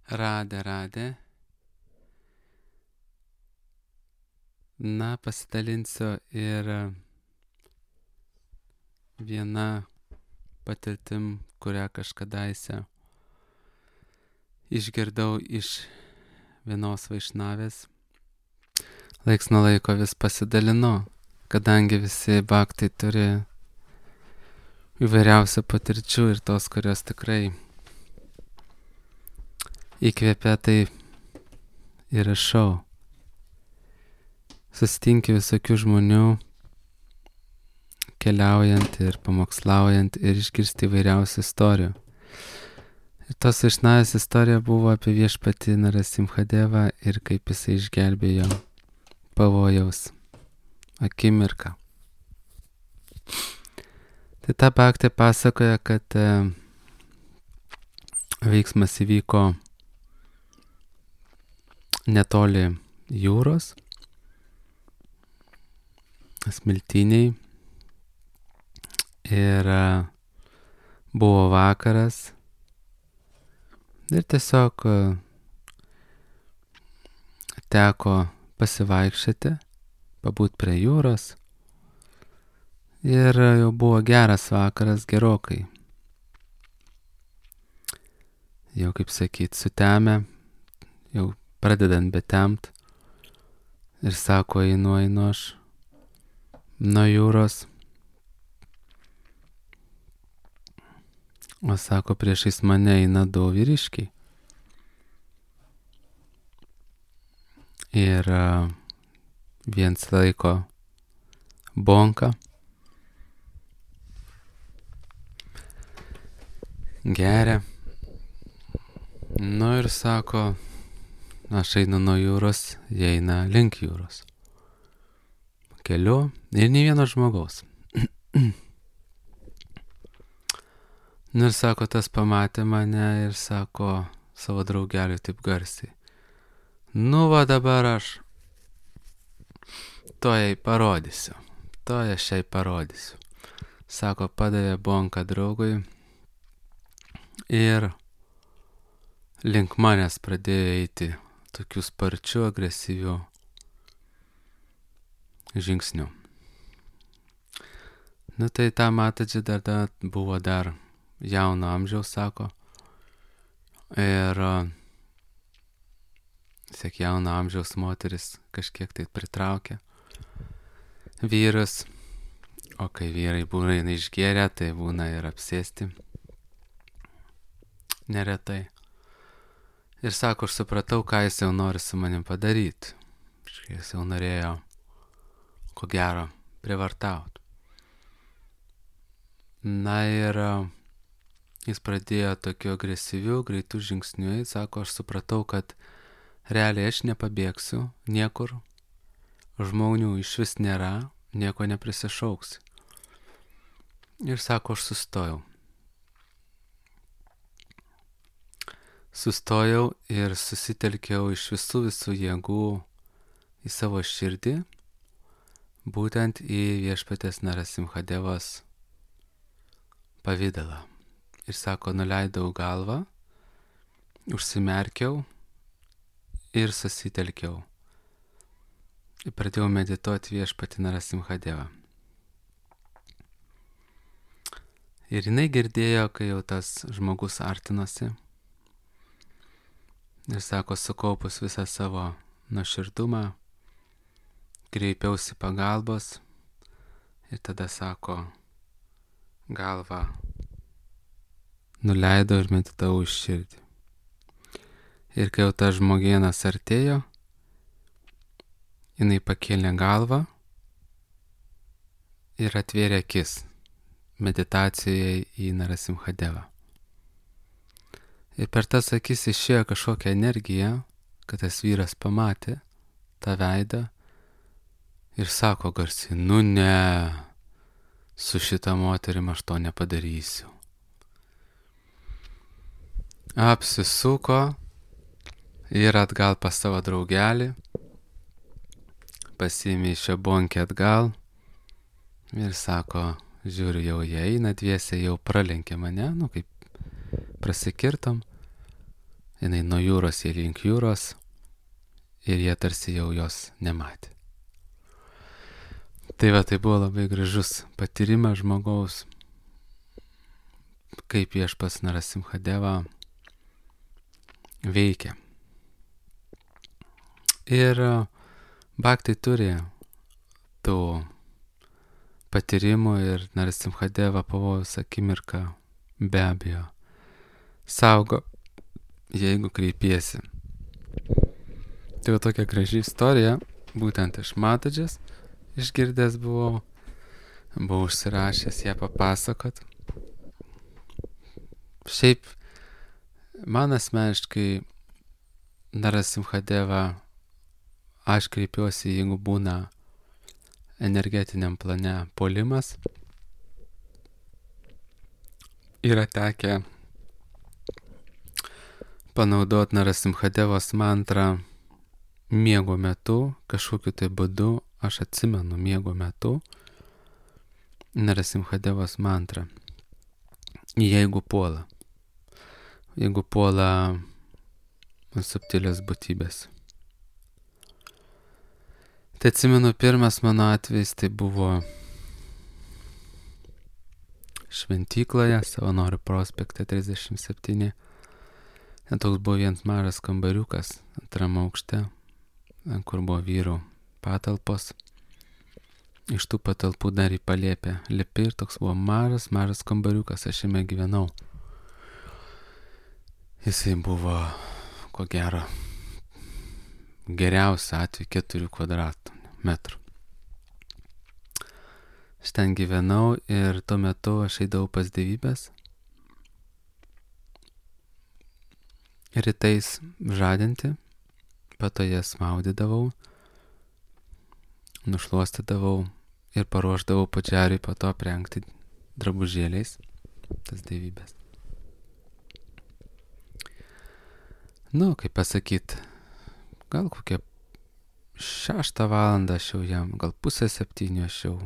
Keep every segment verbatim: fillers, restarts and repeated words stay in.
Radė, radė. Na, pasidalinsiu ir viena patirtim, kurią kažkadaise išgirdau iš vienos vaišnavės. Laiks nuo laiko vis pasidalinu, kadangi visi bhaktai turi įvairiausių patirčių ir tos, kurios tikrai įkvėpia, tai ir rašau. Susitinki visokių žmonių, keliaujant ir pamokslaujant ir išgirsti įvairiausių istorijų. Ir tos vaišnavės istorija buvo apie viešpatį Narasimhadevą ir kaip jisai išgelbėjo pavojaus akimirką. Tai ta bhaktė pasakoja, kad e, veiksmas įvyko netoli jūros, smiltyniai, ir e, buvo vakaras ir tiesiog e, teko pasivaikščioti, pabūt prie jūros ir jau buvo geras vakaras gerokai. Jau, kaip sakyt, sutemę, jau pradedant betemt ir sako, einu, einu aš nuo jūros. O sako, priešais mane eina du vyriškiai. Ir uh, viens laiko bonką, geria. Nu ir sako, aš einu nuo jūros, jie eina link jūros. Keliu ir nei vieno žmogaus. Nu ir sako, tas pamatė mane ir sako savo draugeliui taip garsiai. Nu va dabar aš to jai parodysiu. To aš jai parodysiu. Sako, padavė bonką draugui ir link manęs pradėjo eiti tokių sparčių, agresyvių žingsnių. Nu tai ta matadži dar, dar buvo dar jauno amžiaus, sako. Ir siek jauno amžiaus moteris kažkiek tai pritraukia vyrus. O kai vyrai būna išgėrę, tai būna ir apsėsti neretai. Ir sako, aš supratau, ką jis jau nori su manim padaryti. Jis jau norėjo, ko gero, privartauti. Na ir jis pradėjo tokiu agresyviu, greitų žingsniu. Jis sako, aš supratau, kad realiai aš nepabėgsiu niekur. Žmonių iš vis nėra, nieko neprisišauksiu. Ir sako, aš sustojau. Sustojau ir susitelkiau iš visų visų jėgų į savo širdį, būtent į viešpatės Narasimhadevos pavidalą. Ir sako, nuleidau galvą, užsimerkiau ir susitelkiau. Ir pradėjau medituoti viešpatį Narasimhadevą. Ir jinai girdėjo, kai jau tas žmogus artinosi. Ir sako, sukaupus visą savo nuoširdumą, kreipiausi pagalbos. Ir tada sako, galvą nuleidau ir meditavau iš širdį. Ir kai jau tas žmogienas artėjo, jinai pakėlė galvą ir atvėrė akis meditacijai į Narasimhadevą. Ir per tas akis išėjo kažkokia energija, kad tas vyras pamatė tą veidą ir sako garsiai, nu ne, su šita moterim aš to nepadarysiu. Apsisuko ir atgal pas savo draugelį, pasiėmė šią bonkę atgal ir sako, žiūriu, jau jie eina dviese, jau pralenkė mane, nu kaip prasikirtom. jinai nuo jūros į link jūros ir jie tarsi jau jos nematė. Tai va, tai buvo labai gražus patyrimas žmogaus, kaip viešpats Narasimhadeva veikia. Ir bhaktai turi tų patyrimų ir Narasimhadeva pavojus akimirką be abejo saugo, jeigu kreipiesi. Tai va tokia graži istorija, būtent iš Matadžės išgirdęs buvau, buvau užsirašęs ją papasakot. Šiaip, man asmeniškai Narasimhadeva, aš kreipiuosi, jeigu būna energetiniam plane puolimas. Yra tekę panaudoti Narasimhadevos mantrą miego metu, kažkokiu tai būdu, aš atsimenu miego metu Narasimhadevos mantrą. Jeigu puola. Jeigu puola subtilios būtybės. Tai atsimenu, pirmas mano atvejis tai buvo šventykloje, Savanorių prospekte trisdešimt septyni. Ten toks buvo vienas mažas kambariukas antrame aukšte, kur buvo vyrų patalpos. Iš tų patalpų dar į palėpę lipi ir toks buvo mažas, mažas kambariukas, aš jame gyvenau. Jisai buvo, ko gero, geriausia atveju keturių kvadratų metrų. Aš ten gyvenau ir tuo metu aš eidavau pas dievybės. Rytais žadinti, po to jas maudydavau, nušluostydavau ir paruošdavau pačiariui po to aprengti drabužėliais tas dievybės. Nu, kaip pasakyt, gal kokią šeštą valandą aš jau jam, gal pusę septynių aš jau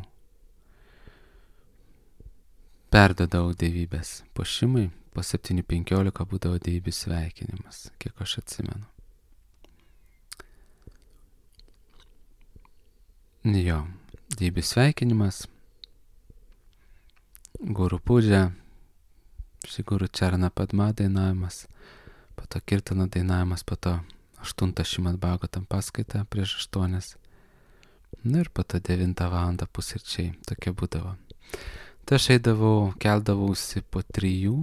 perdodavau dievybės puošimui, po septynių penkiolika būdavo dievybių sveikinimas, kiek aš atsimenu. Jo, dievybių sveikinimas, guru pūdžia, Guru Čarana Padma dainavimas, po to kirtano dainavimas, po to aštuntą Šrimad Bhagavatam paskaita prieš aštuonias. Na ir po to devintą valandą pusryčiai, tokia būdavo. Tai aš eidavau, keldavausi po trijų.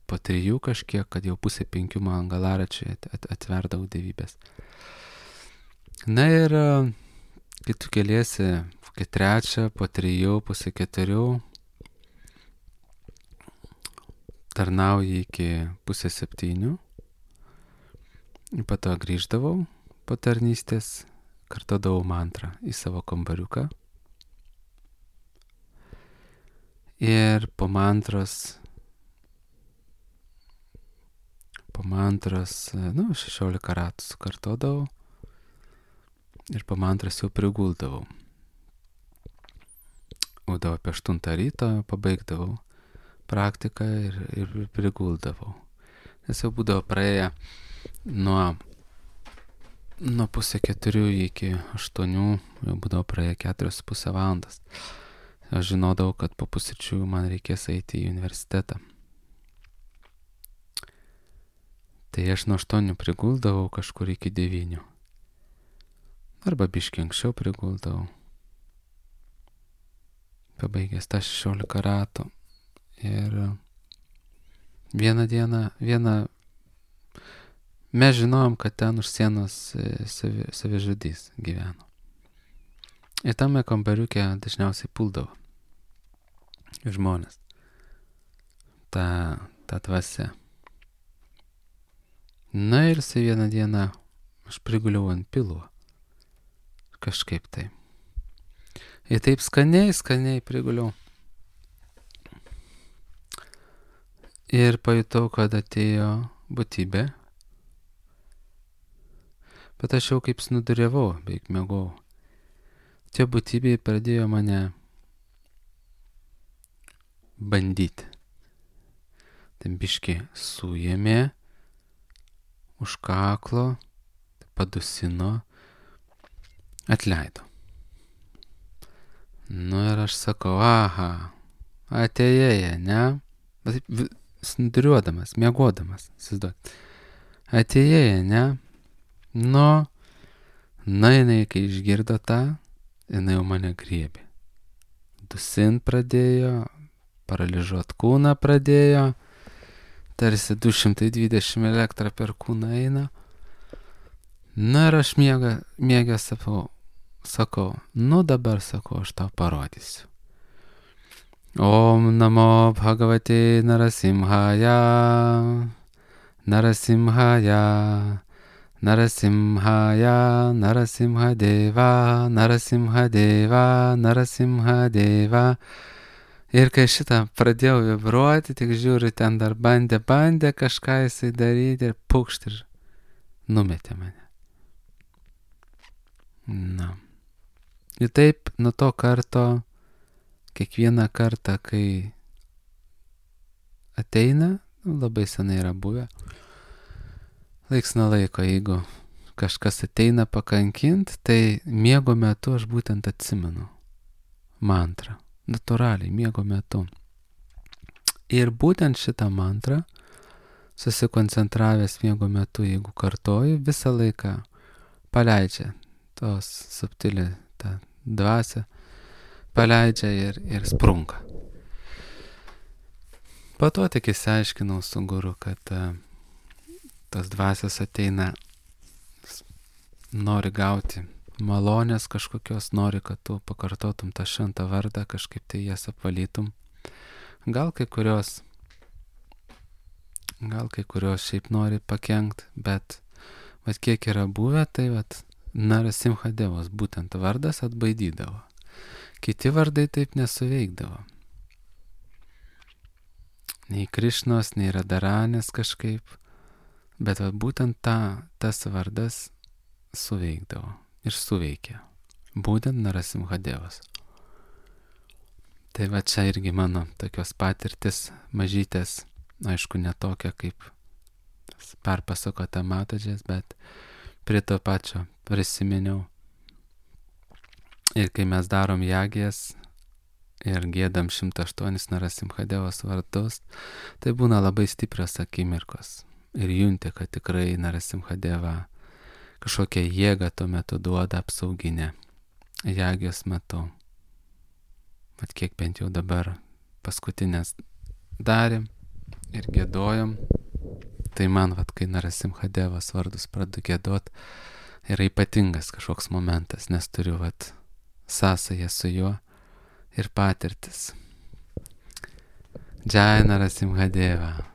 Po trijų kažkiek, kad jau pusė penkių man galaračiai atverdavau dievybės. Na ir kai tu keliesi, kai trečią, po trijų, pusė keturių, tarnauji iki pusė septynių, po to grįždavau po tarnystės, kartodavau mantrą į savo kambariuką ir po mantros po mantros, nu, šešiolika ratų sukartodavau ir po mantros jau priguldavau. Būdavo apie aštuntą ryto, pabaigdavau praktiką ir, ir priguldavau. Nes jau būdavo praėję nuo, nuo pusė keturių iki aštuonių, jau būdavo praėję keturios pusę valandas. Aš žinodavau, kad po pusryčių man reikės eiti į universitetą. Tai aš nuo aštuonių priguldavau kažkur iki devynių. Arba biškį anksčiau priguldavau. Pabaigęs tą šešiolika ratų. Ir vieną dieną, vieną, mes žinojom, kad ten už sienos savi, savižudys gyveno. Ir tame kambariuke dažniausiai puldavo žmonės. Ta, ta dvasia. Na ir su vieną dieną aš priguliau ant pilo. Kažkaip tai. Ir taip skaniai, skaniai priguliau. Ir pajutau, kad atėjo būtybė. Bet aš jau kaip snuduriavau, beveik mėgau. Tie būtybė pradėjo mane bandyti. tai biški suėmė už kaklo, padusino, atleido. Nu ir aš sakau, aha, atėjai, ne? Snuduriuodamas, miegodamas, įsivaizduok. Atėjai, ne? Nu, na jinai, kai išgirdo tą, jinai jau mane griebė. Dusint pradėjo, paralyžuot kūną pradėjo, tarsi du šimtai dvidešimt elektrą per kūną eina. Na ir aš miega, miega sakau, sakau, nu dabar sakau, aš tau parodysiu. Om namo bhagavate narasimhaya, narasimhaya, narasimhaya, narasimhadeva, narasimhadeva, narasimhadeva. Ir kai šitą pradėjau vibruoti, tik žiūriu, ten dar bandė, bandė kažką jisai daryti ir pukšt ir numetė mane. Na. Ir taip nuo to karto, kiekvieną kartą, kai ateina, labai senai yra buvę, laiks nuo laiko, jeigu kažkas ateina pakankint, tai miego metu aš būtent atsimenu mantrą. Natūraliai, miego metu. Ir būtent šitą mantrą, susikoncentravęs miego metu, jeigu kartoju, visą laiką paleidžia tos subtilį tą dvasią, paleidžia ir, ir sprunka. Po to tik įsiaiškinau su guru, kad uh, tos dvasios ateina, nori gauti malonės kažkokios, nori, kad tu pakartotum tą šventą vardą, kažkaip tai jas apvalytum. Gal kai kurios, gal kai kurios šiaip nori pakenkt, bet vat kiek yra buvę, tai vat Narasimhadevos būtent vardas atbaidydavo. Kiti vardai taip nesuveikdavo. Nei Krišnos, nei Radaranės kažkaip, bet vat būtent ta, tas vardas suveikdavo. Ir suveikė. Būtent Narasimhadevas. Tai va čia irgi mano tokios patirtis mažytės, aišku, netokia kaip perpasakota Matadžės, bet prie to pačio prisiminiau. Ir kai mes darom jagijas ir giedam šimtą aštuonis Narasimhadevos vardus, tai būna labai stiprios akimirkos. Ir junti, kad tikrai Narasimhadeva kažkokią jėgą tuo metu duoda apsauginę jagijos metu. Vat kiek bent jau dabar paskutinės darėm ir giedojom, tai man, vat, kai Narasimhadevos vardus pradedu giedot, yra ypatingas kažkoks momentas, nes turiu vat sąsają su juo ir patirtis. Jai Narasimhadeva.